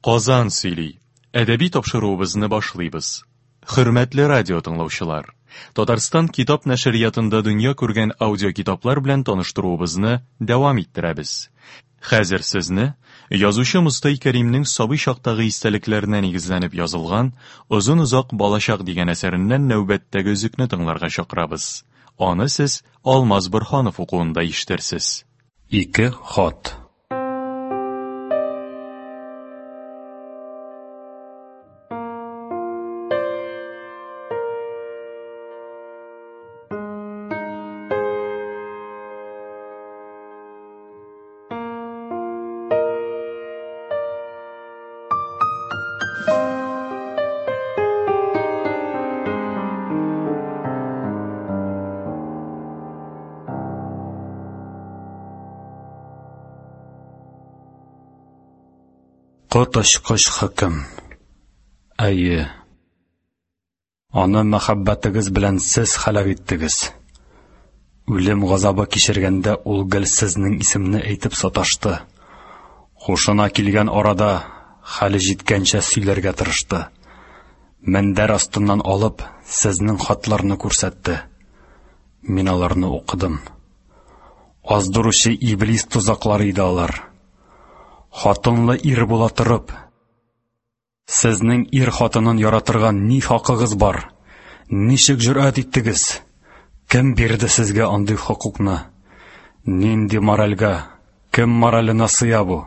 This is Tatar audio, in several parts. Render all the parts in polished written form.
Казан сөйли. Әдәби тапшыруыбызны башлыйбыз. Хөрмәтле радио тыңлаучылар, Татарстан китап нәшриятында дөнья күргән аудиокитаплар белән таныштыруыбызны дәвам иттерәбез. Хәзер сезне язучы Мостай Кәримнең сабый чактагы истәлекләренә нигезләнеп язылган Озын-озак балачак дигән әсәреннән нәүбәттәге өзекне тыңларга чакырабыз. Аны сез Алмаз Борһанов укуында ишетерсез. Ике хат. Коточкыч хөкем. Әйе. Аны мәхәббәтегез белән сез һәлак иттегез. Үлем газабы кичергәндә ул гел сезнең исемне әйтеп саташты. Хушына килгән арада хәле җиткәнчә сөйләргә тырышты. Мендәр астыннан алып, сезнең хатларны күрсәтте. Мин аларны укыдым. Аздыручы иблис тозаклары иде алар. Хатынлы ир була торып, сезнең ир хатынын яратырга ни хакыгыз бар? Ничек җөрьәт иттегез? Кем бирде сезгә андый хокукны? Нинди моральгә, кем мораленә сыя бу?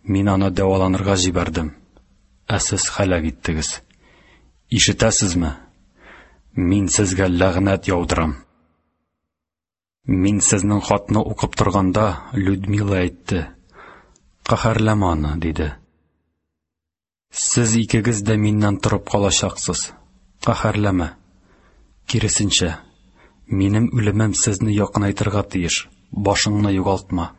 Мин аны дәваланырга җибәрдем, ә сез һәлак иттегез. Ишетәсезме? Мин сезгә ләгънәт яудырам. Мин сезнең хатны укып торганда, Людмила әйтте: "Каһәрләмә аны", диде. Сез икегез дә миннән торып калачаксыз. Каһәрләмә. Киресенчә, минем үлемем сезне якынайтырга тиеш. Башыңны югалтма.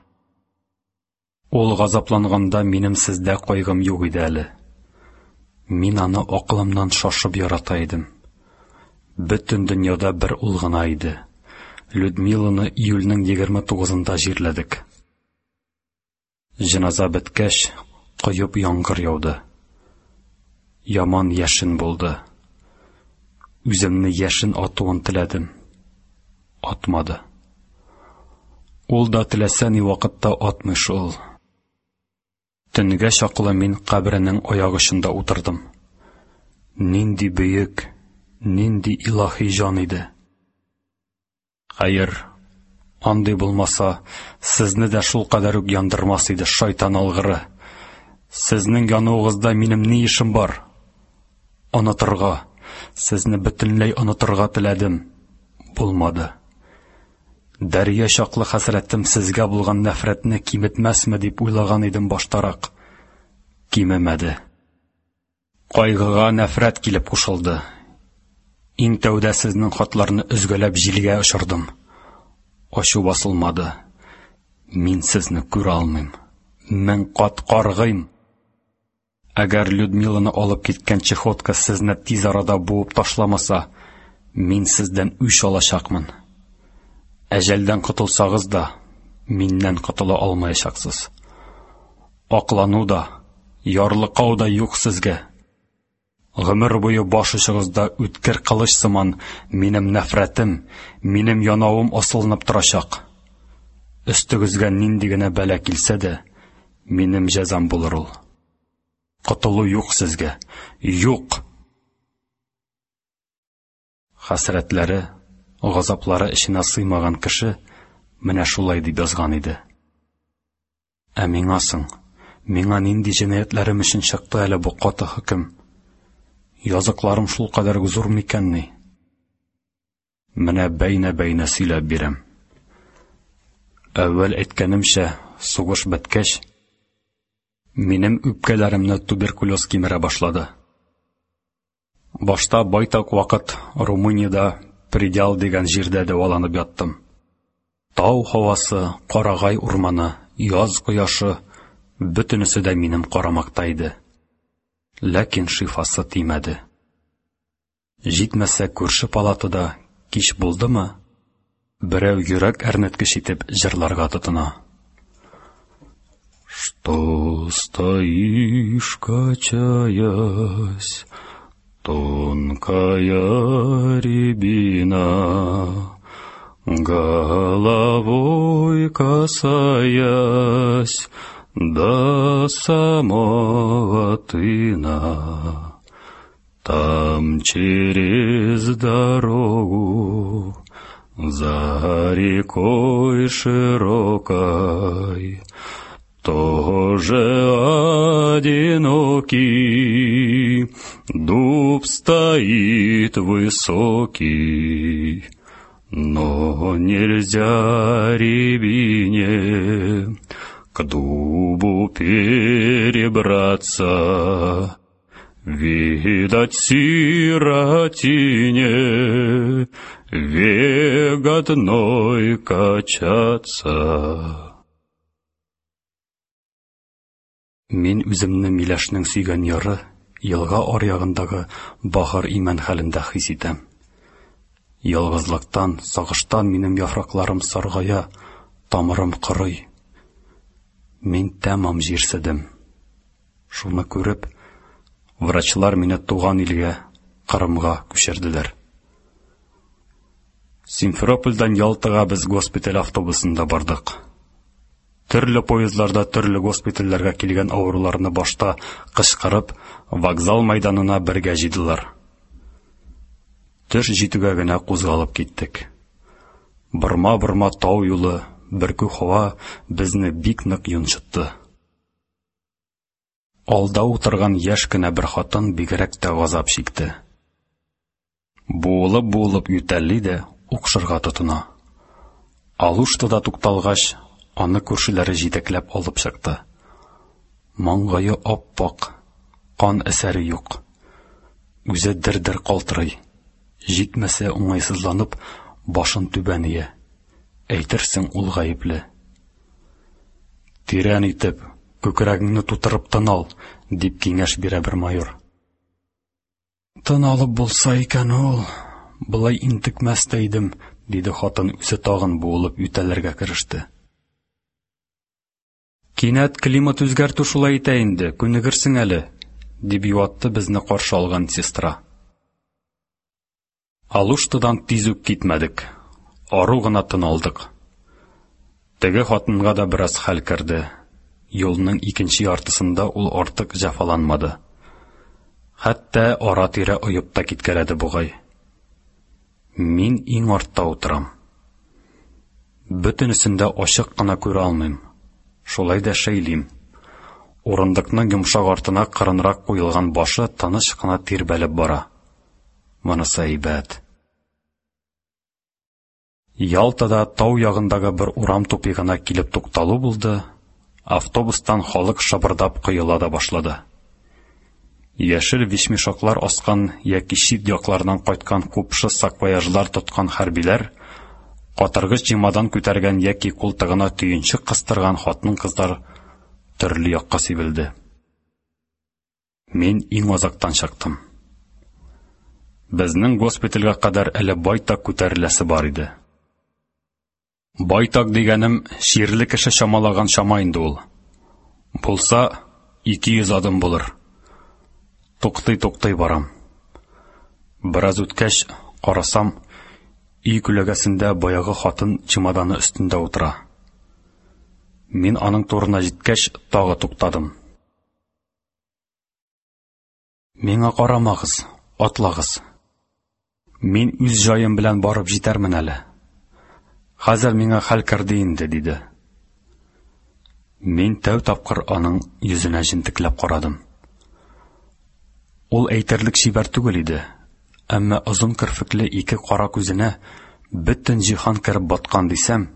Ул газапланганда минем сездә кайгым юк иде әле. Мин аны акылымнан шашып ярата идем. Бөтен дөньяда бер ул гына иде. Людмиланы июльнең 29-ында җирләдек. Җеназа беткәч, коеп яңгыр яуды. Яман яшен булды. Үземне яшен атуын теләдем. Атмады. Ул да теләсә ни вакытта атмый шул. Төнгә чаклы мин каберенең аяк очында утырдым. Нинди бөек, нинди илаһи җан иде. Хәер, андый булмаса, сезне дә шулкадәр үк яндырмас иде, шайтан алгыры. Сезнең януыгызда минем ни эшем бар? Онытырга, сезне бөтенләй онытырга теләдем. Булмады. Дәрья чаклы хәсрәтем сезгә булган нәфрәтне киметмәсме дип уйлаган идем баштарак. Кимемәде. Кайгыга нәфрәт килеп кушылды. Иң тәүдә сезнең хатларны өзгәләп җилгә очырдым. Ачу басылмады. Мин сезне күрә алмыйм. Мең кат каргыйм. Әгәр Людмиланы алып киткән чехотка сезне тиз арада буып ташламаса, мин сездән үч алачакмын. Әҗәлдән котылсагыз да, миннән котыла алмаячаксыз. Аклану да, ярлыкау да юк сезгә. Гомер буе баш очыгызда үткер кылыч сыман минем нәфрәтем, минем янавым асылынып торачак. Өстегезгә нинди генә бәла килсә дә, минем җәзам булыр ул. Котылу юк сезгә. Юк! Хәсрәтләре, газаплары эченә сыймаган кеше менә шулай дип язган иде. Ә миңа соң, миңа нинди җинаятьләрем өчен чыкты әле бу каты хөкем? Языкларым шулкадәр үк зур микәнни? Менә бәйнә-бәйнә сөйләп бирәм. Әүвәл әйткәнемчә, сугыш беткәч, минем үпкәләремне туберкулез кимерә башлады. Башта байтак вакыт Румыниядә Предел дигән җирдә дәваланып яттым. Тау һавасы, карагай урманы, яз кояшы бөтенесе дә минем карамакта иде. Ләкин шифасы тимәде. Җитмәсә, күрше палатада кич булдымы, берәү йөрәк әрнеткеч итеп җырларга тотына. Что стоишь, качаясь, тонкая рябина, головой касаясь до самого тына? Там через дорогу, за рекой широкой, тоже одинокий дуб стоит высокий, но нельзя рябине к дубу перебраться. Видать, сиротине век одной качаться. Мин үземне миләшнең сөйгән яры, елга аръягындагы бахыр имән хәлендә хис итәм. Ялгызлыктан, сагыштан минем яфракларым саргая, тамырым корый. Мин тәмам җирседем. Шуны күреп, врачлар мине туган илгә, Кырымга күчерделәр. Симферопольдән Ялтага без госпиталь автобусында бардык. Төрле поездларда төрле госпитальләргә килгән авыруларны башта кычкырып, вокзал мәйданына бергә җыйдылар. Төш җитүгә генә кузгалып киттек. Борма-борма тау юлы, бөркү һава безне бик нык йончытты. Алда утырган яшь кенә бер хатын бигрәк тә газап чикте. Буылып-буылып ютәлли дә укшырга тотына. Алуштада тукталгач, аны күршеләре җитәкләп алып чыкты. Маңгае ап-ак, кан әсәре юк. Үзе дер-дер калтырый. Җитмәсә, уңайсызланып, башын түбән ия. Әйтерсең, ул гаепле. Тирән итеп, күкрәгеңне тутырып тын ал, дип киңәш бирә бер майор. Тын алып булса икән ул, болай интекмәс тә идем, диде хатын, үзе тагын буылып ютәлләргә кереште. Кинәт климат үзгәртү шулай итә инде, күнегерсең әле, дип юатты безне каршы алган сестра. Алуштадан тиз үк китмәдек. Ару гына тын алдык. Теге хатынга да бераз хәл керде. Юлның икенче яртысында ул артык җәфаланмады. Хәтта ара-тирә оеп та киткәләде бугай. Мин иң артта утырам. Бөтенесен дә ачык кына күрә алмыйм. Шулай да шәйлим. Урындыкның йомшак артына кырынрак куелган башы тыныч кына тирбәлеп бара. Монысы әйбәт. Ялтада тау ягындагы бер урам тупигына килеп тукталу булды, автобустан халык шабырдап коела да башлады. Яшел вещмешоклар аскан яки чит яклардан кайткан купшы саквояжлар тоткан хәрбиләр, катыргыч чемодан күтәргән яки култыгына төенчек кыстырган хатын-кызлар төрле якка сибелде. Мин иң азактан чыктым. Безнең госпитальгә кадәр әле байтак күтәреләсе бар иде. Байтак дигәнем чирле кеше чамалаган чама инде ул. Булса, 200 адым булыр. Туктый-туктый барам. Бераз үткәч, карасам, өй күләгәсендә баягы хатын чемоданы өстендә утыра. Мин аның турына җиткәч, тагы туктадым. Миңа карамагыз, атлагыз. Мин үз җаем белән барып җитәрмен әле. Хәзер миңа хәл керде инде, диде. Мин тәү тапкыр аның йөзенә җентекләп карадым. Ул әйтерлек чибәр түгел иде, әмма озын керфекле ике кара күзенә бөтен җиһан кереп баткан дисәм,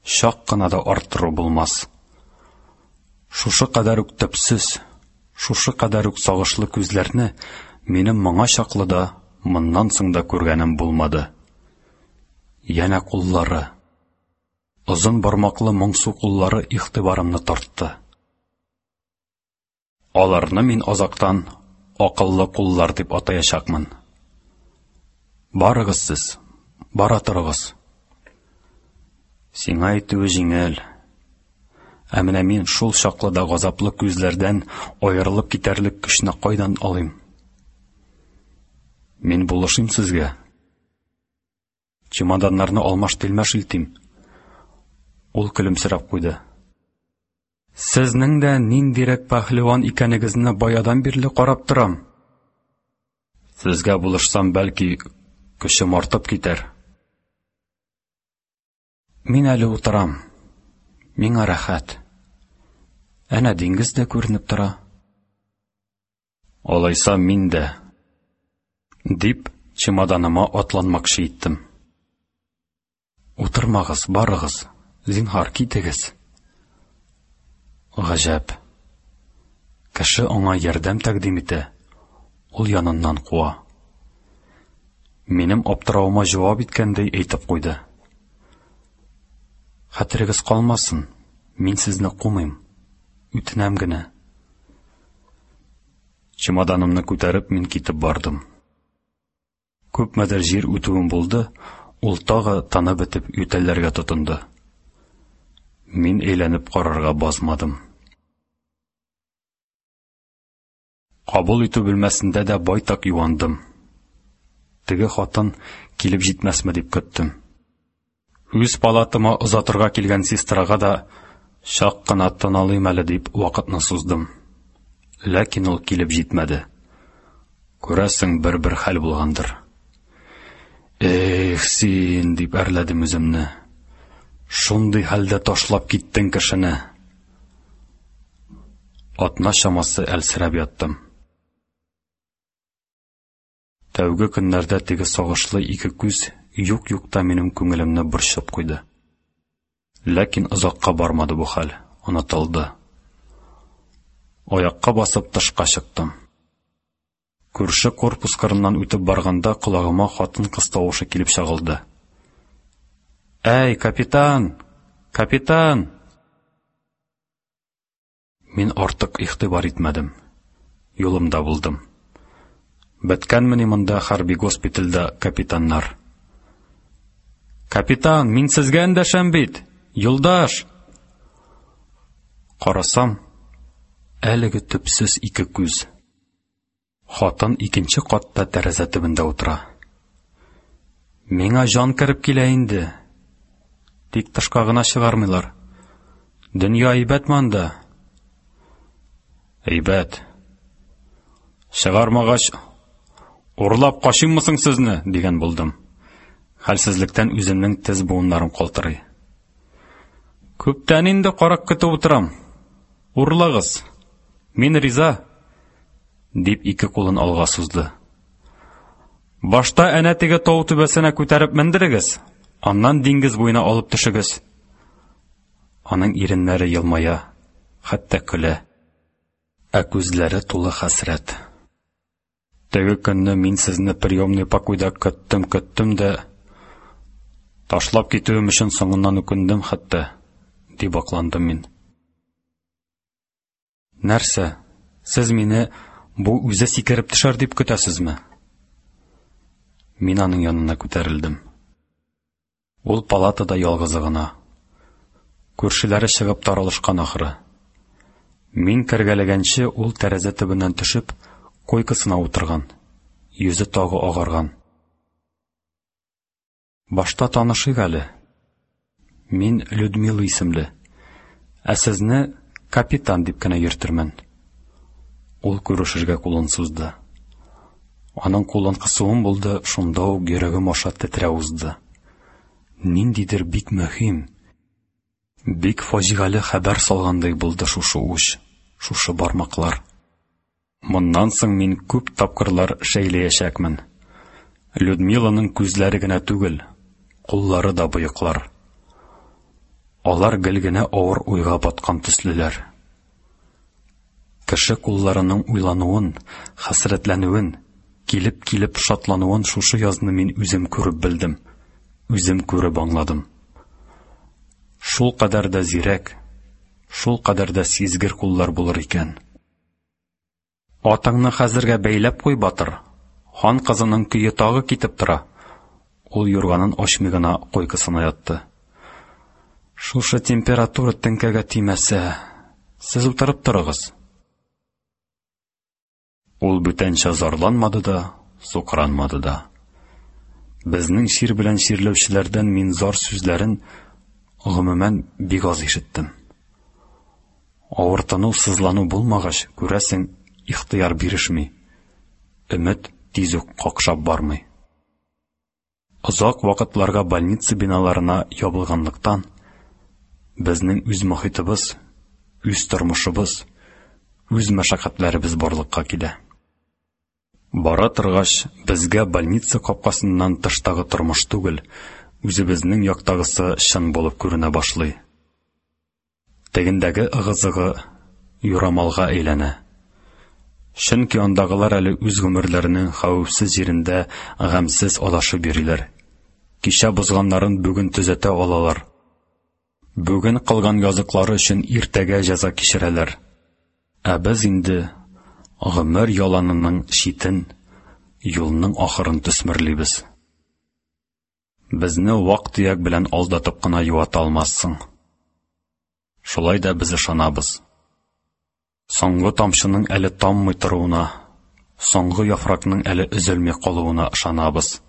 чак кына да арттыру булмас. Шушы кадәр үк төпсез, шушы кадәр үк сагышлы күзләрне минем моңа чаклы да, моннан соң да күргәнем булмады. Янә куллары. Озын бармаклы моңсу куллары игътибарымны тартты. Аларны мин азактан акыллы куллар дип атаячакмын. Барыгыз сез, бара торыгыз. Сиңа әйтүе җиңел. Ә менә мин шул чаклы да газаплы күзләрдән аерылып китәрлек көчне кайдан алыйм? Мин булышыйм сезгә. Чемоданнарны алмаш-тилмәш илтим. Ул көлемсерәп куйды. Сезнең дә ниндирәк пәһлеван икәнегезне баядан бирле карап торам. Сезгә булышсам, бәлки, көчем артып китәр. Мин әле утырам. Миңа рәхәт. Әнә диңгез дә күренеп тора. Алайса мин дә, дип, чемоданыма атланмакчы иттем. Утырмагыз, барыгыз, зинһар, китегез. Гаҗәп. Кеше аңа ярдәм тәкъдим итә, ул яныннан куа. Минем аптыравыма җавап иткәндәй әйтеп куйды. Хәтерегез калмасын, мин сезне кумыйм, үтенәм генә. Чемоданымны күтәреп мин китеп бардым. Күпмедер җир үтүем булды, ул тагы тыны бетеп ютәлләргә тотынды. Мин әйләнеп карарга базмадым. Кабул итү бүлмәсендә дә байтак юандым. Теге хатын килеп җитмәсме дип көттем. Үз палатама озатырга килгән сестрага да чак кына тын алыйм әле дип вакытны суздым. Ләкин ул килеп җитмәде. Күрәсең, бер-бер хәл булгандыр. Эх, син, дип әрләдем үземне. Шундый хәлдә ташлап киттең кешене. Атна чамасы әлсерәп яттым. Тәүге көннәрдә теге сагышлы ике күз юк-юк та минем күңелемне борчып куйды. Ләкин озакка бармады бу хәл, онытылды. Аякка басып тышка чыктым. Күрше корпус кырыннан үтеп барганда колагыма хатын-кыз тавышы килеп чагылды. Әй, капитан! Капитан! Мин артык игътибар итмәдем. Юлымда булдым. Беткәнмени монда хәрби госпитальдә капитаннар? Капитан, мин сезгә эндәшәм бит! Юлдаш! Карасам, әлеге төпсез ике күз. Хатын икенче катта тәрәзә төбендә утыра. Миңа җан кереп килә инде. Тик тышка гына чыгармыйлар. Дөнья әйбәтме анда? Әйбәт. Чыгармагач, урлап качыйммы соң сезне, дигән булдым. Хәлсезлектән үземнең тез буыннарым калтырый. Күптән инде карак көтеп утырам. Урлагыз. Мин риза, дип ике кулын алга сузды. Башта әнә теге тау түбәсенә күтәреп мендерегез, аннан диңгез буена алып төшегез. Аның иреннәре елмая, хәтта көлә, ә күзләре тулы хәсрәт. Теге көнне мин сезне приемный покойда көттем-көттем дә, ташлап китүем өчен соңыннан үкендем хәтта, дип акландым мин. Нәрсә, сез мине бу үзе сикереп төшәр дип көтәсезме? Мин аның янына күтәрелдем. Ул палатада ялгызы гына. Күршеләре чыгып таралышкан ахры. Мин кергәләгәнче ул тәрәзә төбеннән төшеп, койкасына утырган. Йөзе тагы агарган. Башта танышыйк әле. Мин Людмила исемле. Ә сезне капитан дип кенә йөртермен. Ул күрешергә кулын сузды. Аның кулын кысуым булды, шунда ук йөрәгем аша тетрәү узды. Ниндидер бик мөһим, бик фаҗигале хәбәр салгандай булды шушы уч, шушы бармаклар. Моннан соң мин күп тапкырлар шәйләячәкмен. Людмиланың күзләре генә түгел, куллары да боеклар. Алар гел генә авыр уйга баткан төслеләр. Кеше кулларының уйлануын, хәсрәтләнүен, килеп-килеп шатлануын шушы язны мин үзем күреп белдем, үзем күреп аңладым. Шул кадәр дә зирәк, шул кадәр дә сизгер куллар булыр икән. Атыңны хәзергә бәйләп куй, батыр. Хан кызының көе тагы китеп тора. Ул юрганын ачмый гына койкасына ятты. Шушы температура теңкәгә тимәсә, сез утырып торыгыз. Ул бүтәнчә зарланмады да, сукранмады да. Безнең чир белән чирләүчеләрдән мин зар сүзләрен, гомумән, бик аз ишеттем. Авыртыну, сызлану булмагач, күрәсең, ихтыяр бирешми. Өмет тиз үк какшап бармый. Озак вакытларга больница биналарына ябылганлыктан, безнең үз мохитыбыз, үз тормышыбыз, үз мәшәкатьләребез барлыкка килә. Бара торгач, безгә больница капкасыннан тыштагы тормыш түгел, үзебезнең яктагысы чын булып күренә башлый. Тегендәге ыгы-зыгы юрамалга әйләнә. Чөнки андагылар әле үз гомерләренең хәвефсез җирендә гамьсез адашып йөриләр. Кичә бозганнарын бүген төзәтә алалар. Бүген кылган языклары өчен иртәгә җәза кичерәләр. Ә без инде гомер яланының читен, юлның ахырын төсмерлибез. Безне вак-төяк белән алдатып кына юата алмассың. Шулай да без ышанабыз. Соңгы тамчының әле таммый торуына, соңгы яфракның әле өзелми калуына ышанабыз.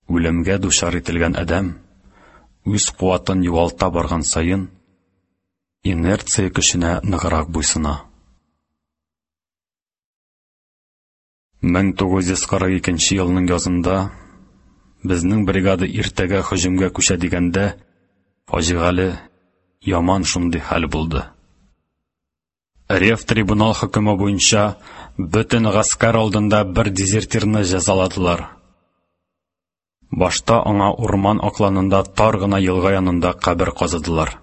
Үлемгә дучар ителгән адәм, үз куатын югалта барган саен, инерция көченә ныграк буйсына. 1942 елның язында безнең бригада иртәгә һөҗүмгә күчә дигәндә, фаҗигале, яман шундый хәл булды. Рев трибунал хөкеме буенча бөтен гаскәр алдында бер дезертирны җәзаладылар. Башта аңа урман акланында тар гына елга янында кабер казыдылар.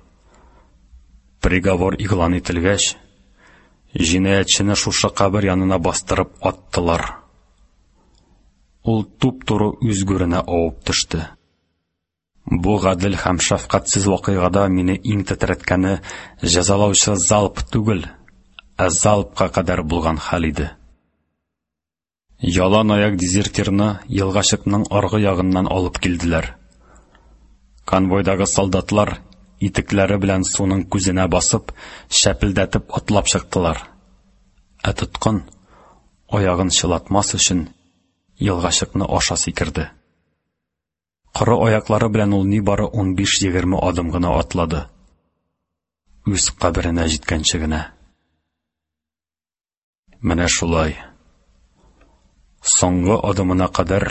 Приговор игълан ителгәч, җинаятьчене шушы кабер янына бастырып аттылар. Ул туп-туры үз гүренә авып төште. Бу гадел һәм шәфкатьсез вакыйгада мине иң тетрәткәне җәзалаучы залп түгел, ә залпка кадәр булган хәл иде. Ялан аяк дезертирны елгачыкның аргы ягыннан алып килделәр. Конвойдагы солдатлар итекләре белән суның күзенә басып, шәпелдәтеп атлап чыктылар. Ә тоткын, аягын чылатмас өчен, елгачыкны аша сикерде. Коры аяклары белән ул нибары 15-20 адым гына атлады. Үз каберенә җиткәнче генә. Менә шулай. Соңгы адымына кадәр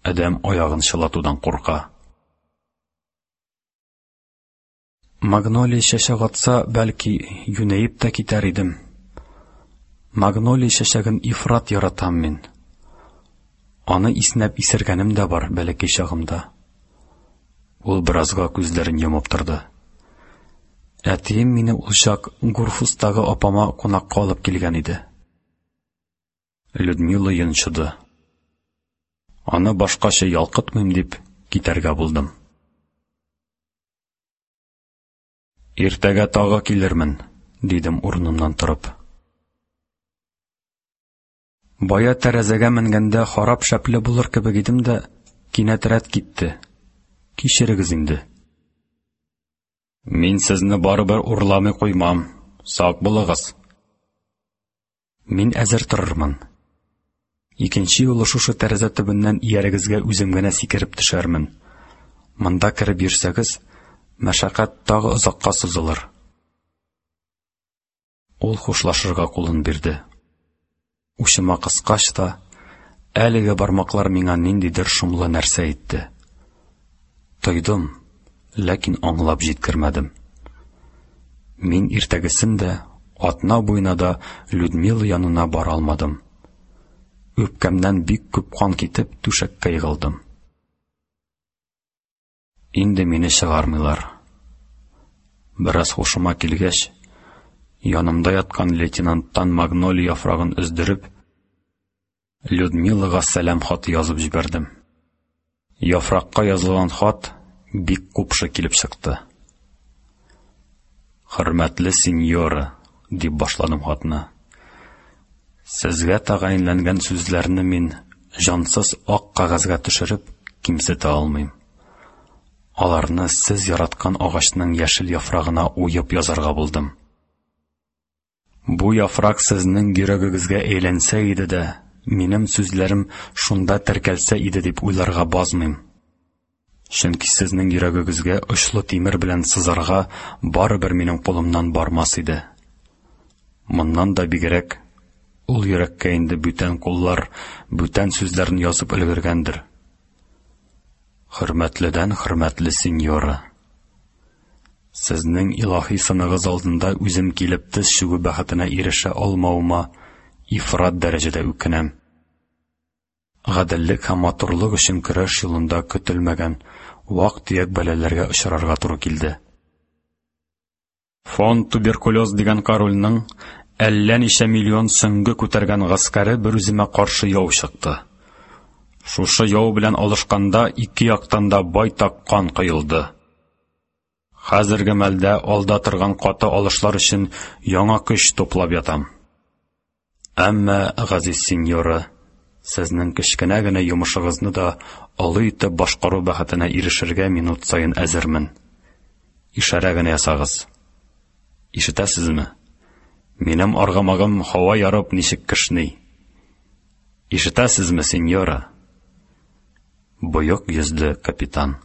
адәм аягын чылатудан курка. Магнолия чәчәк атса, бәлки, юнәеп тә китәр идем. Магнолия чәчәген ифрат яратам мин. Аны иснәп исергәнем дә бар бәләкәй чагымда. Ул беразга күзләрен йомып торды. Әтием мине ул чак Гурфустагы апама кунакка алып килгән иде. Людмила йончыды. Аны башкача ялкытмыйм дип китәргә булдым. Иртәгә тагы килермен, дидем урынымнан торып. Бая тәрәзәгә менгәндә харап шәпле булыр кебек идем дә, кинәт рәт китте. Кичерегез инде. Мин сезне барыбер урламый куймам. Сак булыгыз. Мин әзер торырмын. Икенче юлы шушы тәрәзә төбеннән иярегезгә үзем генә сикереп төшәрмен. Монда кереп йөрсәгез, мәшәкать тагы озакка сузылыр. Ул хушлашырга кулын бирде. Учыма кыскач та, әлеге бармаклар миңа ниндидер шомлы нәрсә әйтте. Тойдым, ләкин аңлап җиткермәдем. Мин иртәгесен дә, атна буена да Людмила янына бара алмадым. Үпкәмнән бик күп кан китеп, түшәккә егылдым. Инде мине чыгармыйлар. Бераз һушыма килгәч, янымда яткан лейтенанттан магнолия яфрагын өздереп, Людмилага сәлам хаты язып җибәрдем. Яфракка язылган хат бик купшы килеп чыкты. Хөрмәтле сеньора, дип башладым хатны. Сезгә тәгаенләнгән сүзләрне мин җансыз ак кәгазьгә төшереп кимсетә алмыйм. Аларны сез яраткан агачның яшел яфрагына уеп язарга булдым. Бу яфрак сезнең йөрәгегезгә әйләнсә иде дә, минем сүзләрем шунда теркәлсә иде дип уйларга базмыйм. Чөнки сезнең йөрәгегезгә очлы тимер белән сызарга барыбер минем кулымнан бармас иде. Моннан да бигрәк, ул йөрәккә инде бүтән куллар, бүтән сүзләрне язып өлгергәндер. Хөрмәтледән хөрмәтле сеньора! Сезнең илаһи сыныгыз алдында үзем килеп тез чүгү бәхетенә ирешә алмавыма ифрат дәрәҗәдә үкенәм. Гаделлек һәм матурлык өчен көрәш юлында көтелмәгән вак-төяк бәлаләргә очрарга туры килде. Фон туберкулез дигән корольның әллә ничә миллион сөңге күтәргән гаскәре берүземә каршы яу чыкты. Шушы яу белән алышканда ике яктан да байтак кан коелды. Хәзерге мәлдә алда торган каты алышлар өчен яңа көч туплап ятам. Әмма, газиз сеньора, сезнең кечкенә генә йомышыгызны да олы итеп башкару бәхетенә ирешергә минут саен әзермен. Ишарә генә ясагыз. Ишетәсезме? Минем аргамагым һава ярып ничек кешни. Ишетәсезме, сеньора? Боек йөзле капитан.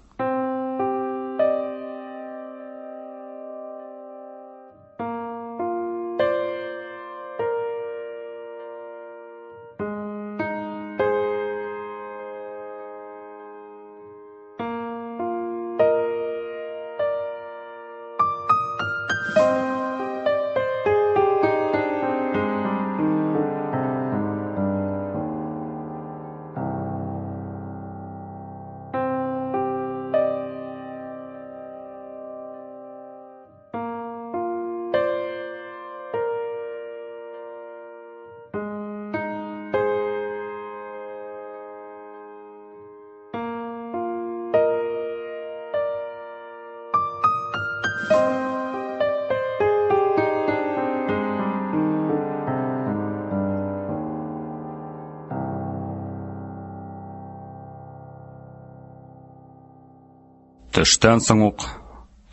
Төштән соң ук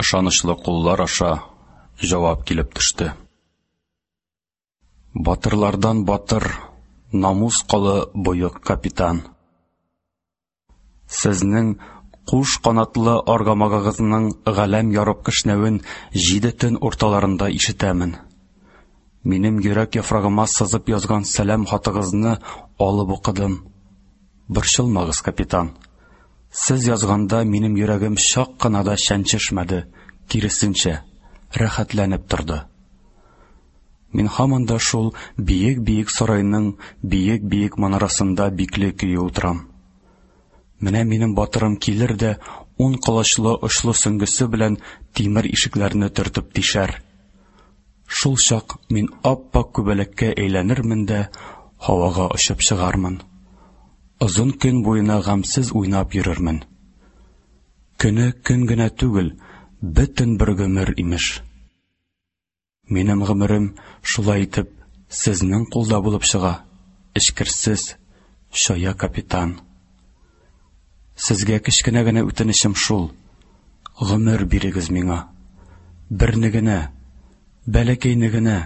ышанычлы куллар аша җавап килеп төште. Батырлардан батыр, намус колы боек капитан. Сезнең куш канатлы аргамагыгызның галәм ярып кешнәвен җиде төн урталарында ишетәмен. Минем йөрәк яфрагыма сызып язган сәлам хатыгызны алып укыдым. Борчылмагыз, капитан. Сез язганда минем йөрәгем чак кына да чәнчешмәде, киресенчә, рәхәтләнеп торды. Мин һаман да шул биек-биек сарайның биек-биек манарасында бикле көе утырам. Менә минем батырым килер дә ун колачлы очлы сөңгесе белән тимер ишекләрне төртеп тишәр. Шул чак мин ап-ак күбәләккә әйләнермен дә һавага очып чыгармын. Озын көн буена гамьсез уйнап йөрермен. Көне көн генә түгел, бөтен бер гомер, имеш. Минем гомерем шулай итеп сезнең кулда булып чыга, эчкерсез, чая капитан. Сезгә кечкенә генә үтенечем шул: гомер бирегез миңа. Берне генә, бәләкәйне генә.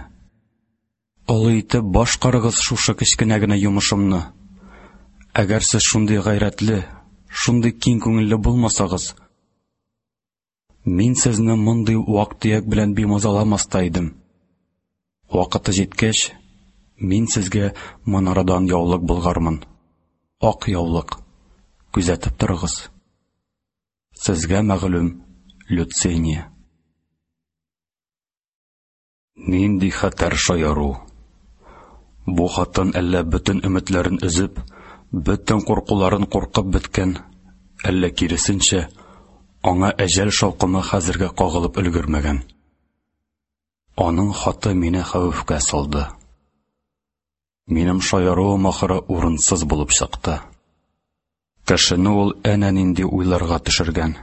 Олы итеп башкарыгыз шушы кечкенә генә йомышымны. Әгәр сез шундый гайрәтле, шундый киң күңелле булмасагыз, мин сезне мондый вак-төяк белән бимазаламас та идем. Вакыты җиткәч, мин сезгә манарадан яулык болгармын. Ак яулык. Күзәтеп торыгыз. Сезгә мәгълүм Люцения. Нинди хәтәр шаяру! Бу хатын әллә бөтен өметләрен өзеп, бөтен куркуларын куркып беткән, әллә киресенчә, аңа әҗәл шаукымы хәзергә кагылып өлгермәгән. Аның хаты мине хәвефкә салды. Минем шаяруым ахыры урынсыз булып чыкты. Кешене ул әнә нинди уйларга төшергән.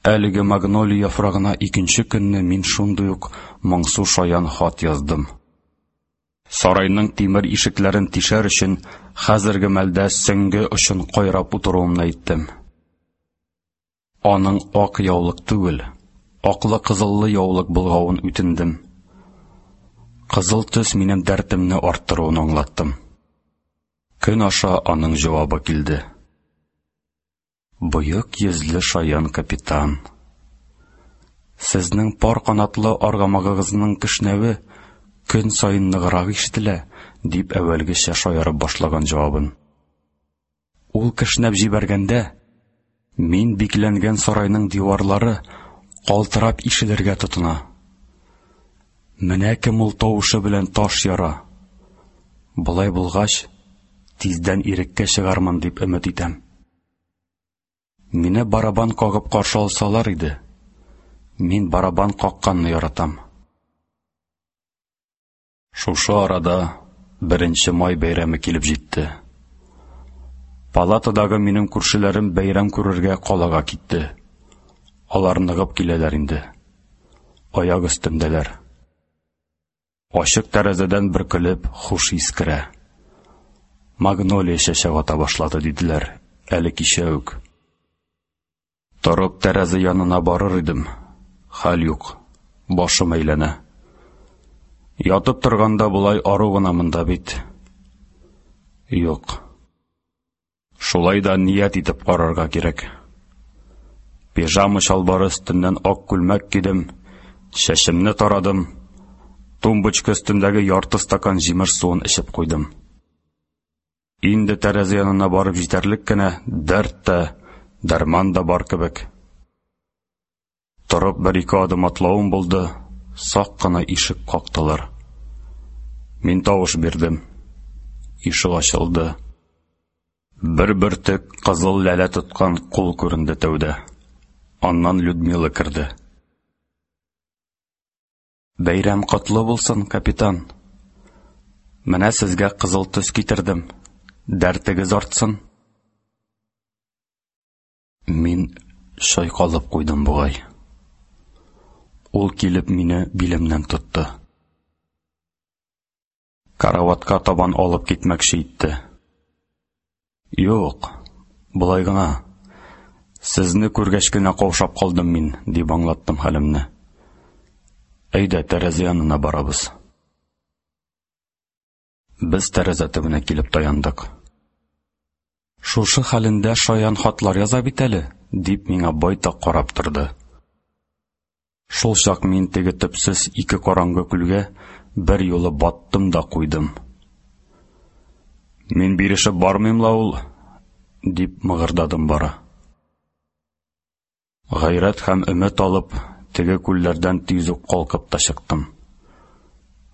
Әлеге магнолия яфрагына икенче көнне мин шундый ук моңсу шаян хат яздым. Сарайның тимер ишекләрен тишәр өчен хәзерге мәлдә сөңге очын кайрап утыруымны әйттем. Аның ак яулык түгел, аклы-кызыллы яулык болгавын үтендем. Кызыл төс минем дәртемне арттыруын аңлаттым. Көн аша аның җавабы килде. Боек йөзле шаян капитан. Сезнең пар канатлы аргамагыгызның кешнәве көн саен ныграк ишетелә, дип әүвәлгечә шаярып башлаган җавабын. Ул кешнәп җибәргәндә, мин бикләнгән сарайның диварлары калтырап ишелергә тотына. Менә кем ул тавышы белән таш яра. Болай булгач, тиздән иреккә чыгармын дип өмет итәм. Мине барабан кагып каршы алсалар иде. Мин барабан какканны яратам. Шушы арада Беренче май бәйрәме килеп җитте. Палатадагы минем күршеләрем бәйрәм күрергә калага китте. Алар ныгып киләләр инде. Аяк өстендәләр. Ачык тәрәзәдән бөркелеп хуш ис керә. Магнолия чәчәк ата башлады, диделәр, әле кичә үк. Торып тәрәзә янына барыр идем, хәл юк, башым әйләнә. Ятып торганда болай ару гына монда бит. Юк. Шулай да ният итеп карарга кирәк. Пижама чалбары өстеннән ак күлмәк кидем, чәчемне тарадым, тумбочка өстендәге ярты стакан җимеш суын эчеп куйдым. Инде тәрәзә янына барып җитәрлек кенә дәрт тә, дәрман да бар кебек. Торып бер-ике адым атлавым булды, сак кына ишек кактылар. Мин тавыш бирдем. Ишек ачылды. Бер бөртек кызыл ләлә тоткан кул күренде тәүдә. Аннан Людмила керде. Бәйрәм котлы булсын, капитан. Менә сезгә кызыл төс китердем. Дәртегез артсын. Мин чайкалып куйдым бугай. Ул килеп мине билемнән тотты. Караватка табан алып китмәкче итте. Юк, болай гына. Сезне күргәч кенә каушап калдым мин, дип аңлаттым хәлемне. Әйдә, тәрәзә янына барабыз. Без тәрәзә төбенә килеп таяндык. Шушы хәлендә шаян хатлар яза бит әле, дип миңа байтак карап торды. Шул чак мин теге төпсез ике караңгы күлгә бер юлы баттым да куйдым. Мин бирешеп бармыйм ла ул, дип мыгырдадым бары. Гайрәт һәм өмет алып, теге күлләрдән тиз үк калкып та чыктым.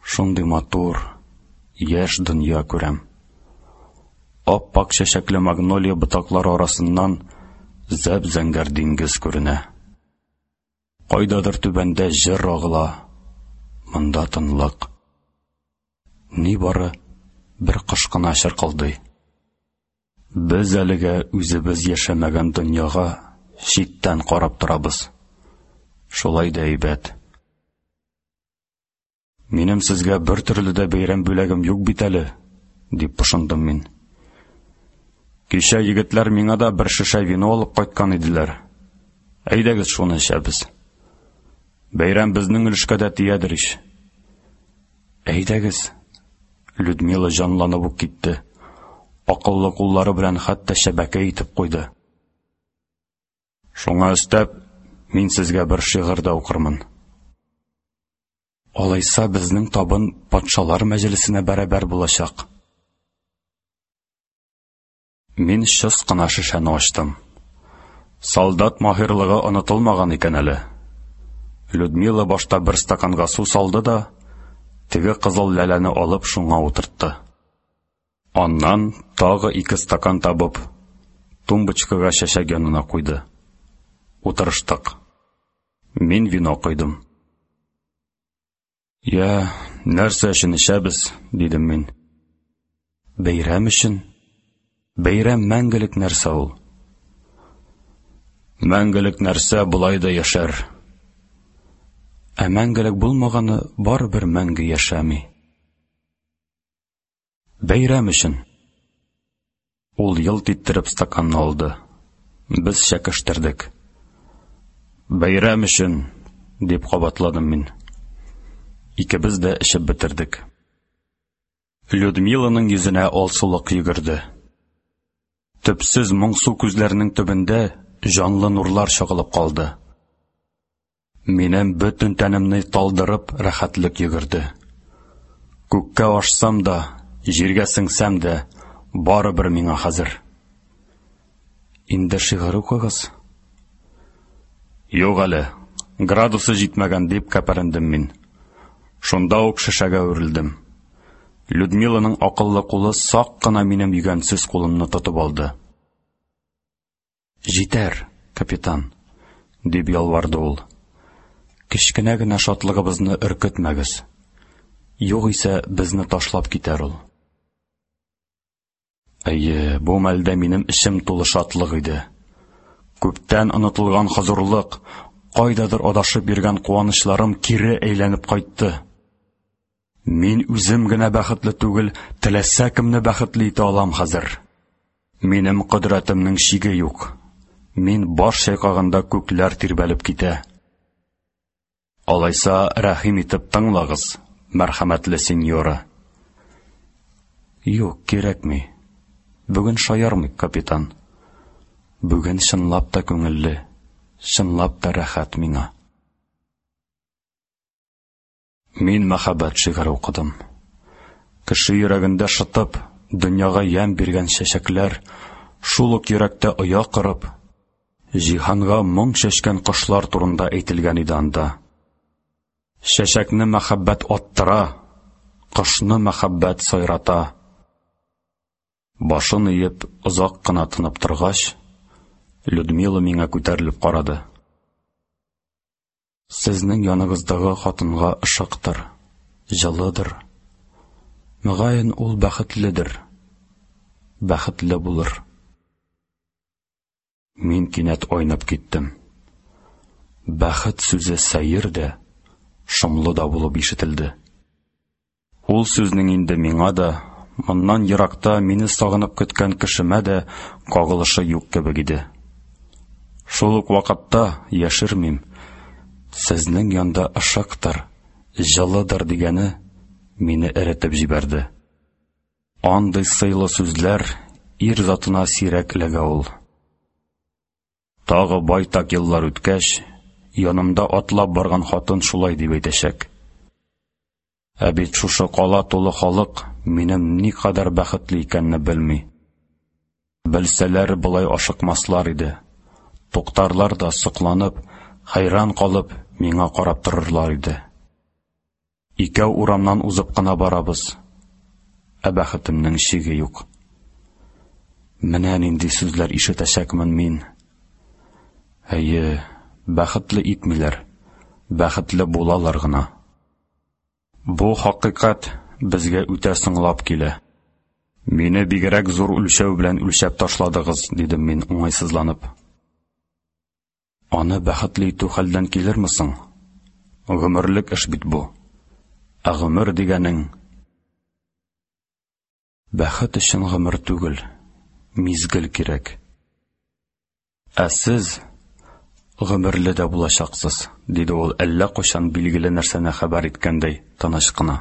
Шундый матур, яшь дөнья күрәм. Ап-ак чәчәкле магнолия ботаклары арасыннан зәп-зәңгәр диңгез күренә. Кайдадыр түбәндә җыр агыла, монда тынлык. Нибары бер кош кына чыркылдый. Без әлегә үзебез яшәмәгән дөньяга читтән карап торабыз. Шулай да әйбәт. Минем сезгә бер төрле дә бәйрәм бүләгем юк бит әле, дип пошындым мин. Кичә егетләр миңа да бер шешә вино алып кайткан иделәр. Әйдәгез шуны эчәбез. Бәйрәм безнең өлешкә дә тиядер ич. Әйдәгез. Людмила җанланып ук китте. Акыллы куллары белән хәтта шәбәкә итеп куйды. Шуңа өстәп, мин сезгә бер шигырь дә укырмын. Алайса безнең табын патшалар мәҗлесенә бәрабәр булачак. Мин чыс кына шешәне ачтым. Солдат маһирлыгы онытылмаган икән әле. Людмила башта бер стаканга су салды да, теге кызыл ләләне алып шуңа утыртты. Аннан тагы ике стакан табып, тумбочкага чәчәк янына куйды. Утырыштык. Мин вино койдым. Я, нәрсә өчен эчәбез, дидем мин. Бәйрәм өчен. Бәйрәм мәңгелек нәрсә ул. Мәңгелек нәрсә болай да яшәр. Ә мәңгелек булмаганы барыбер мәңге яшәми. Бәйрәм өчен. Ул елт иттереп стаканны алды. Без чәкештердек. Бәйрәм өчен, дип кабатладым мин. Икебез дә эчеп бетердек. Людмиланың йөзенә алсулык йөгерде. Төпсез моңсу күзләренең төбендә җанлы нурлар чагылып калды. Минем бөтен тәнемне талдырып рәхәтлек йөгерде. Күккә ашсам да, җиргә сеңсәм дә, барыбер миңа хәзер. Инде шигырь укыгыз. Юк әле, градусы җитмәгән дип кәпәрендем мин. Шунда ук шешәгә үрелдем. Людмиланың акыллы кулы сак кына минем йөгәнсез кулымны тотып алды. Җитәр, капитан, дип ялварды ул. Кечкенә генә шатлыгыбызны өркетмәгез. Югыйсә безне ташлап китәр ул. Әйе, бу мәлдә минем эчем тулы шатлык иде. Күптән онытылган хозурлык, кайдадыр адашып йөргән куанычларым кире әйләнеп кайтты. Мин үзем генә бәхетле түгел, теләсә кемне бәхетле итә алам хәзер. Минем кодрәтемнең чиге юк. Мин баш чайкаганда күкләр тирбәлеп китә. Алайса, рәхим итеп тыңлагыз, мәрхәмәтле сеньора. Юк, кирәкми. Бүген шаярмыйк, капитан. Бүген чынлап та күңелле, чынлап та рәхәт миңа. Мин мәхәббәт шигыре укыдым. Кеше йөрәгендә шытып, дөньяга ямь биргән чәчәкләр, шул ук йөрәктә оя корып, җиһанга моң чәчкән кошлар турында әйтелгән иде анда. Чәчәкне мәхәббәт аттыра, кошны мәхәббәт сайрата. Башын иеп, озак кына тынып торгач, Людмила миңа күтәрелеп карады. Сезнең яныгыздагы хатынга ышыктыр, җылыдыр. Мөгаен, ул бәхетледер. Бәхетле булыр. Мин кинәт айнып киттем. Бәхет сүзе сәер дә, шомлы да булып ишетелде. Ул сүзнең инде миңа да, моннан еракта мине сагынып көткән кешемә дә кагылышы юк кебек иде. Шул ук вакытта, яшермим, сезнең янда ышыктыр, җылыдыр дигәне мине эретеп җибәрде. Андый сыйлы сүзләр ир затына сирәк эләгә ул. Тагы байтак еллар үткәч, янымда атлап барган хатын шулай дип әйтәчәк. Ә бит шушы кала тулы халык минем никадәр бәхетле икәнне белми. Белсәләр, болай ашыкмаслар иде. Туктарлар да сокланып, хәйран калып, миңа карап торырлар иде. Икәү урамнан узып кына барабыз. Ә бәхетемнең чиге юк. Менә нинди сүзләр ишетәчәкмен мин. Әйе, бәхетле итмиләр, бәхетле булалар гына. Бу хакыйкать безгә үтә соңлап килә. Мине бигрәк зур үлчәү белән үлчәп ташладыгыз, дидем мин уңайсызланып. Аны бәхетле итү хәлдән килерме соң? Гомерлек эш бит бу. Ә гомер дигәнең бәхет өчен гомер түгел, мизгел кирәк. Ә сез гомерле дә булачаксыз, диде ул әллә кайчан билгеле нәрсәне хәбәр иткәндәй тыныч кына.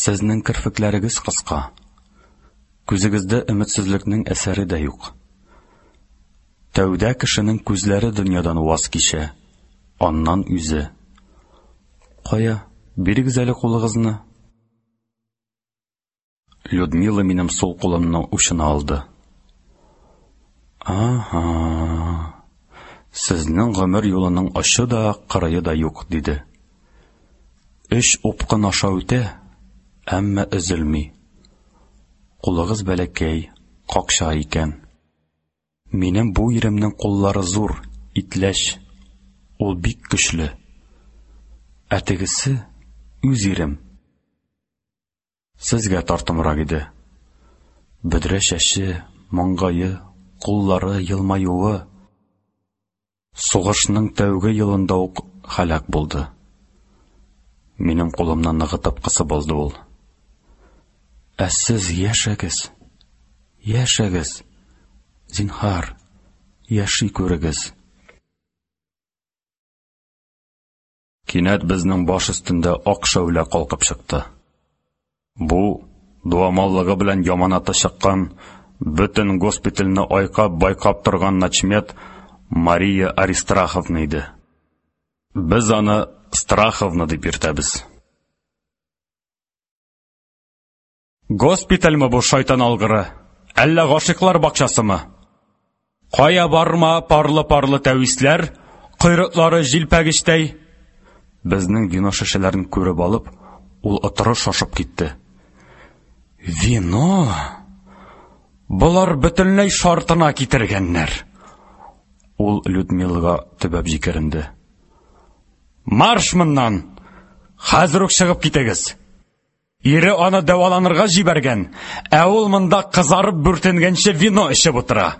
Сезнең керфекләрегез кыска. Күзегездә өметсезлекнең әсәре дә юк. Тәүдә кешенең күзләре дөньядан ваз кичә, аннан үзе. Кая, бирегез әле кулыгызны. Людмила минем сул кулымны учына алды. Ага. Сезнең гомер юлының очы да, кырые да юк, диде. Өч упкын аша үтә, әмма өзелми. Кулыгыз бәләкәй, какча икән. Минем бу иремнең куллары зур, итләч. Ул бик көчле. Ә тегесе үз ирем. Сезгә тартымрак иде. Бөдрә чәче, маңгае, куллары, елмаюы. Сугышның тәүге елында ук һәлак булды. Минем кулымны ныгытып кысып алды ул. Ә сез яшәгез, яшәгез, зинһар, яши күрегез. Кинәт безнең баш өстендә ак шәүлә калкып чыкты. Бу, дуамаллыгы белән яманаты чыккан, бөтен госпитальне айкап-байкап торган начмед Мария Аристарховна иде. Без аны Страховна дип йөртәбез. Госпитальме бу, шайтан алгыры? Әллә гашыйклар бакчасымы? Кая барма парлы-парлы тәвисләр, койрыклары җилпәгечтәй. Безнең вино шешәләрен күреп алып, ул отыры шашып китте. Вино? Болар бөтенләй шартына китергәннәр. Ул Людмилага төбәп җикеренде. Марш моннан! Хәзер үк чыгып китегез! Ире аны дәваланырга җибәргән, ә ул монда кызарып бүртенгәнче вино эчеп утыра.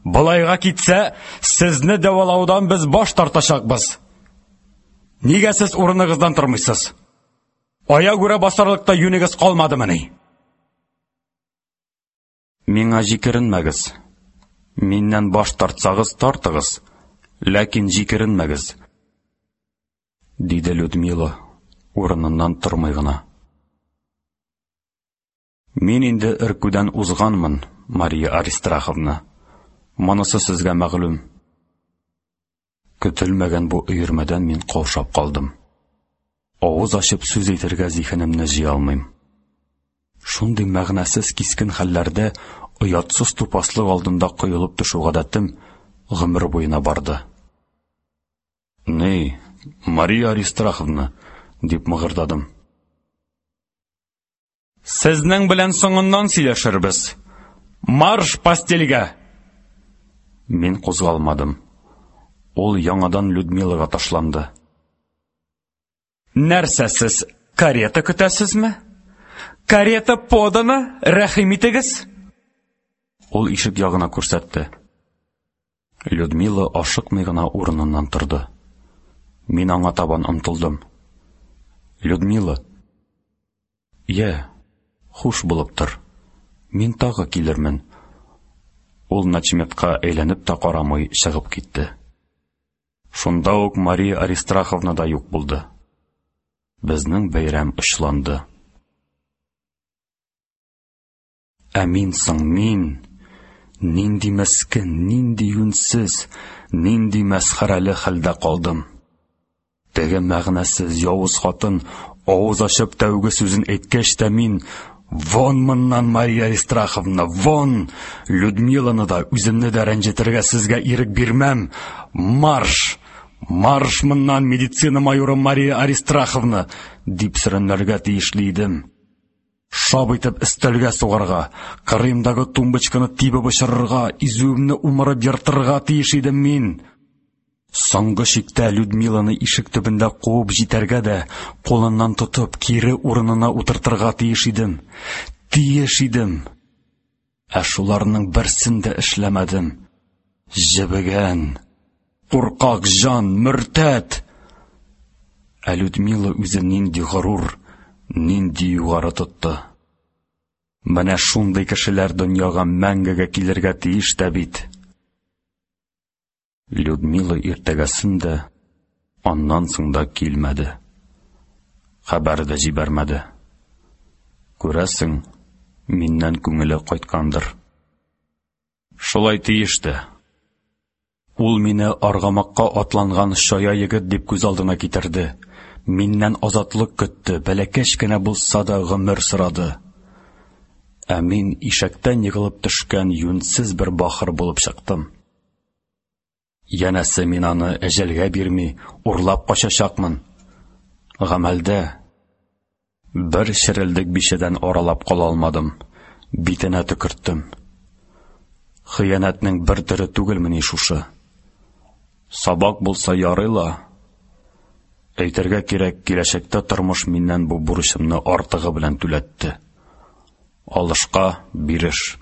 Болайга китсә, сезне дәвалаудан без баш тартачакбыз. Нигә сез урыныгыздан тормыйсыз? Аягүрә басарлык та юнегез калмадымыни? Миңа җикеренмәгез. Миннән баш тартсагыз, тартыгыз, ләкин җикеренмәгез, диде Людмила, урыныннан тормый гына. Мин инде өркүдән узганмын, Мария Аристарховна. Монысы сезгә мәгълүм. Көтелмәгән бу өермәдән мин каушап калдым. Авыз ачып сүз әйтергә зиһенемне җыя алмыйм. Шундый мәгънәсез кискен хәлләрдә оятсыз тупаслык алдында коелып төшү гадәтем гомер буена барды. Ни, Мария Аристарховна, дип мыгырдадым. Сезнең белән соңыннан сөйләшербез. Марш постельгә! Мин кузгалмадым. Ул яңадан Людмилага ташланды. Нәрсә сез, карета көтәсезме? Карета подана, рәхим итегез! Ул ишек ягына күрсәтте. Людмила ашыкмый гына урыныннан торды. Мин аңа табан омтылдым. Людмила, йә, хуш булып тор. Мин тагы килермен. Ул начметка әйләнеп тә карамый чыгып китте. Шунда ук Мария Аристарховна да юк булды. Безнең бәйрәм очланды. Ә мин соң, мин нинди мескен, нинди юньсез, нинди мәсхәрәле хәлдә калдым. Теге мәгънәсез явыз хатын авыз ачып тәүге сүзен әйткәч тә мин: «Вон моннан, Мария Аристарховна, вон! Людмиланы да, үземне дә рәнҗетергә сезгә ирек бирмәм! Марш! Марш моннан, медицина майоры Мария Аристарховна!» дип сөрәнләргә тиешле идем. Шап итеп өстәлгә сугарга, кырыемдагы тумбочканы тибеп очырырга, изүемне умырып ертырга тиеш идем мин. Соңгы чиктә Людмиланы ишек төбендә куып җитәргә дә, кулыннан тотып, кире урынына утыртырга тиеш идем. Тиеш идем. Ә шуларның берсен дә эшләмәдем. Җебегән, куркак җан, мөртәт! Ә Людмила үзен нинди горур, нинди югары тотты. Менә шундый кешеләр дөньяга мәңгегә килергә тиеш тә бит. Людмила иртәгәсен дә, аннан соң да килмәде. Хәбәр дә җибәрмәде. Күрәсең, миннән күңеле кайткандыр. Шулай тиеш тә. Ул мине аргамакка атланган чая егет дип күз алдына китерде. Миннән азатлык көтте, бәләкәч кенә булса да гомер сорады. Ә мин ишәктән егылып төшкән юньсез бер бахыр булып чыктым. Янәсе мин аны әҗәлгә бирми, урлап качачакмын. Гамәлдә бер черелдек бичәдән аралап кала алмадым, битенә төкерттем. Хыянәтнең бер төре түгелмени шушы? Сабак булса ярый ла. Әйтергә кирәк, киләчәктә тормыш миннән бу бурычымны артыгы белән түләтте. Алышка биреш.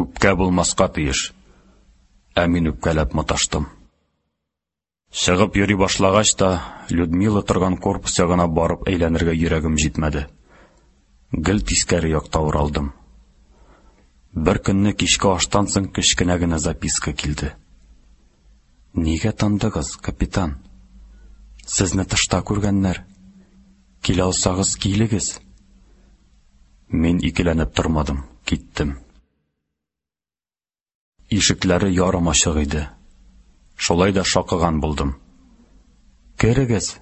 Үпкә булмаска тиеш. Ә мин үпкәләп маташтым. Чыгып йөри башлагач та, Людмила торган корпус ягына барып әйләнергә йөрәгем җитмәде. Гел тискәре якта уралдым. Бер көнне кичке аштан соң кечкенә генә записка килде. Нигә тындыгыз, капитан? Сезне тышта күргәннәр. Килә алсагыз, килегез. Мин икеләнеп тормадым, киттем. Ишекләре ярым ачык иде. Шулай да шакыган булдым. Керегез.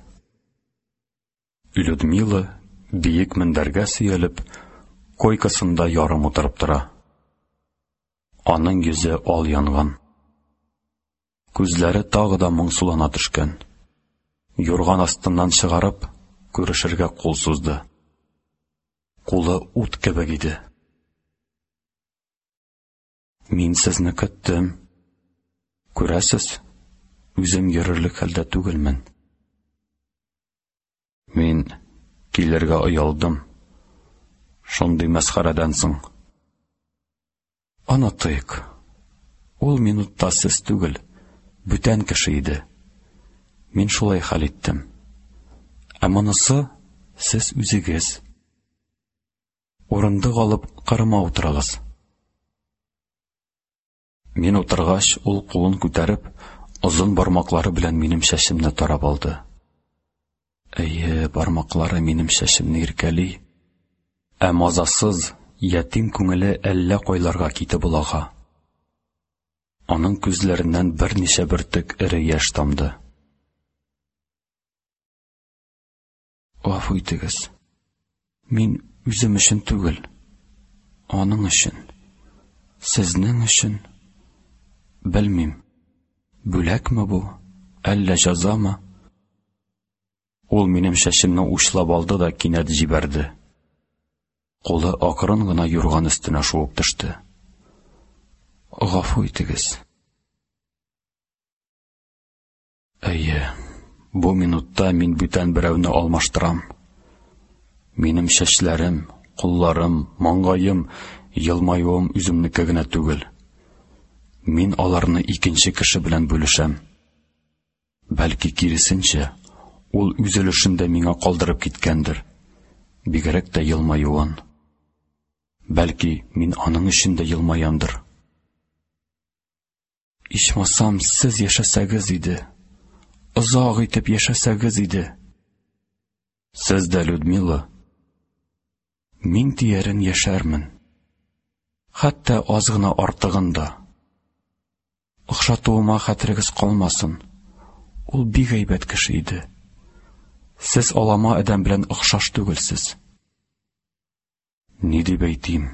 Людмила биек мендәргә сөялеп, койкасында ярым утырып тора. Аның йөзе ал янган. Күзләре тагы да моңсулана төшкән. Юрган астыннан чыгарып, күрешергә кул сузды. Кулы ут кебек иде. Мин сезне көттем. Күрәсез, үзем йөрерлек хәлдә түгелмен. Мин килергә оялдым. Шундый мәсхәрәдән соң. Онытыйк. Ул минутта сез түгел, бүтән кеше иде. Мин шулай хәл иттем. Ә монысы сез үзегез. Урындык алып кырыма утырыгыз. Мин утыргач, ул кулын күтәреп, озын бармаклары белән минем чәчемне тарап алды. Әйе, бармаклары минем чәчемне иркәли. Ә мазасыз, ятим күңеле әллә кайларга китеп олага. Аның күзләреннән берничә бөртек эре яшь тамды. Гафу итегез. Мин үзем өчен түгел, аның өчен, сезнең өчен. Белмим, бүләкме бу, әллә җәзамы? Ул минем чәчемне учлап алды да кинәт җибәрде. Кулы акрын гына юрган өстенә шуып төште. Гафу итегез. Әйе, бу минутта мин бүтән берәүне алмаштырам. Минем чәчләрем, кулларым, маңгаем, елмаюым үземнеке генә түгел. Мин аларны икенче кеше белән бүлешәм. Бәлки киресенчә, ул үз өлешен дә миңа калдырып киткәндер. Бигрәк тә елмаюын. Бәлки, мин аның өчен дә елмаямдыр. Ичмасам, сез яшәсәгез иде. Озак итеп яшәсәгез иде. Сез дә, Людмила, мин тиярен яшәрмен. Хәтта аз гына артыгын да. Охшатуыма хәтерегез калмасын. Ул бик әйбәт кеше иде. Сез алама адәм белән охшаш түгелсез. Ни дип әйтим?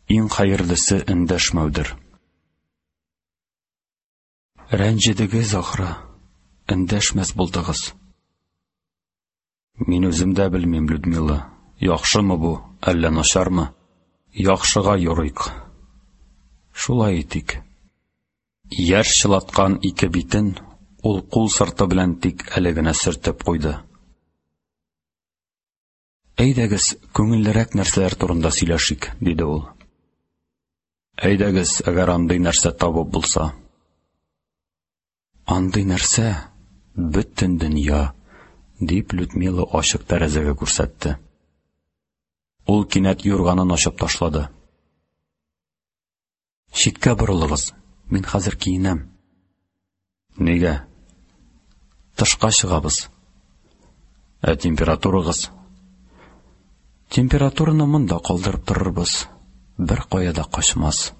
Иң хәерлесе эндәшмәүдер. Рәнҗедегез ахры, эндәшмәс булдыгыз. Мин үзем дә белмим, Людмила, яхшымы бу, әллә начармы? Яхшыга юрыйк. Шулай итик. Яшь чылаткан ике битен ул кул сырты белән тик әле генә сөртеп куйды. Әйдәгез, күңеллерәк нәрсәләр турында сөйләшик, диде ул. Әйдәгез, әгәр андый нәрсә табып булса. Андый нәрсә бөтен дөнья, дип Людмила ачык тәрәзәгә күрсәтте. Ул кинәт юрганын ачып ташлады. Читкә борылыгыз, мин хәзер киенәм. Нигә? Тышка чыгабыз. Ә температурагыз? Температураны монда калдырып торырбыз. Бер кая да качмас.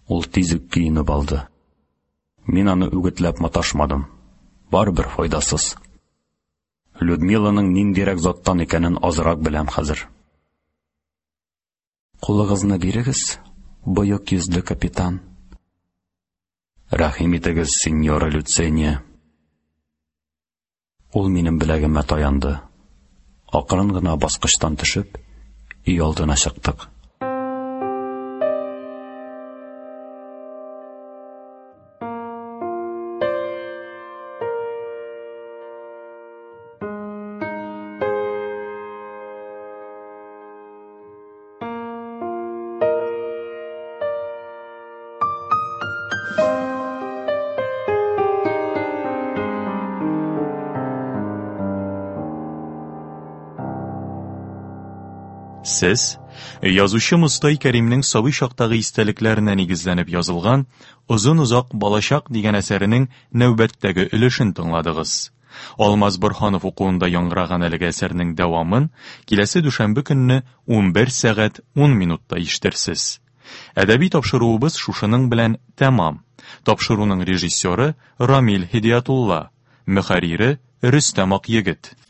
Ул тиз үк киенеп алды. Мин аны үгетләп маташмадым. Барыбер файдасыз. Людмиланың ниндирәк заттан икәнен азрак беләм хәзер. Кулыгызны бирегез, боек йөзле капитан. Рәхим итегез, сеньора Люцения. Ул минем беләгемә таянды. Акрын гына баскычтан төшеп, өй алдына чыктык. Сез язучы Мостай Кәримнең сабый чактагы истәлекләренә нигезләнеп язылган Озын-озак балачак дигән әсәренең нәүбәттәге өлешен тыңладыгыз. Алмаз Борһанов укуында яңгыраган әлеге әсәрнең дәвамын киләсе дүшәмбе көнне 11 сәгать 10 минутта ишетерсез. Әдәби тапшыруыбыз шушының белән тәмам. Тапшыруның режиссеры Рамил Һидиятулла, мөхәррире Рөстәм Акъегет.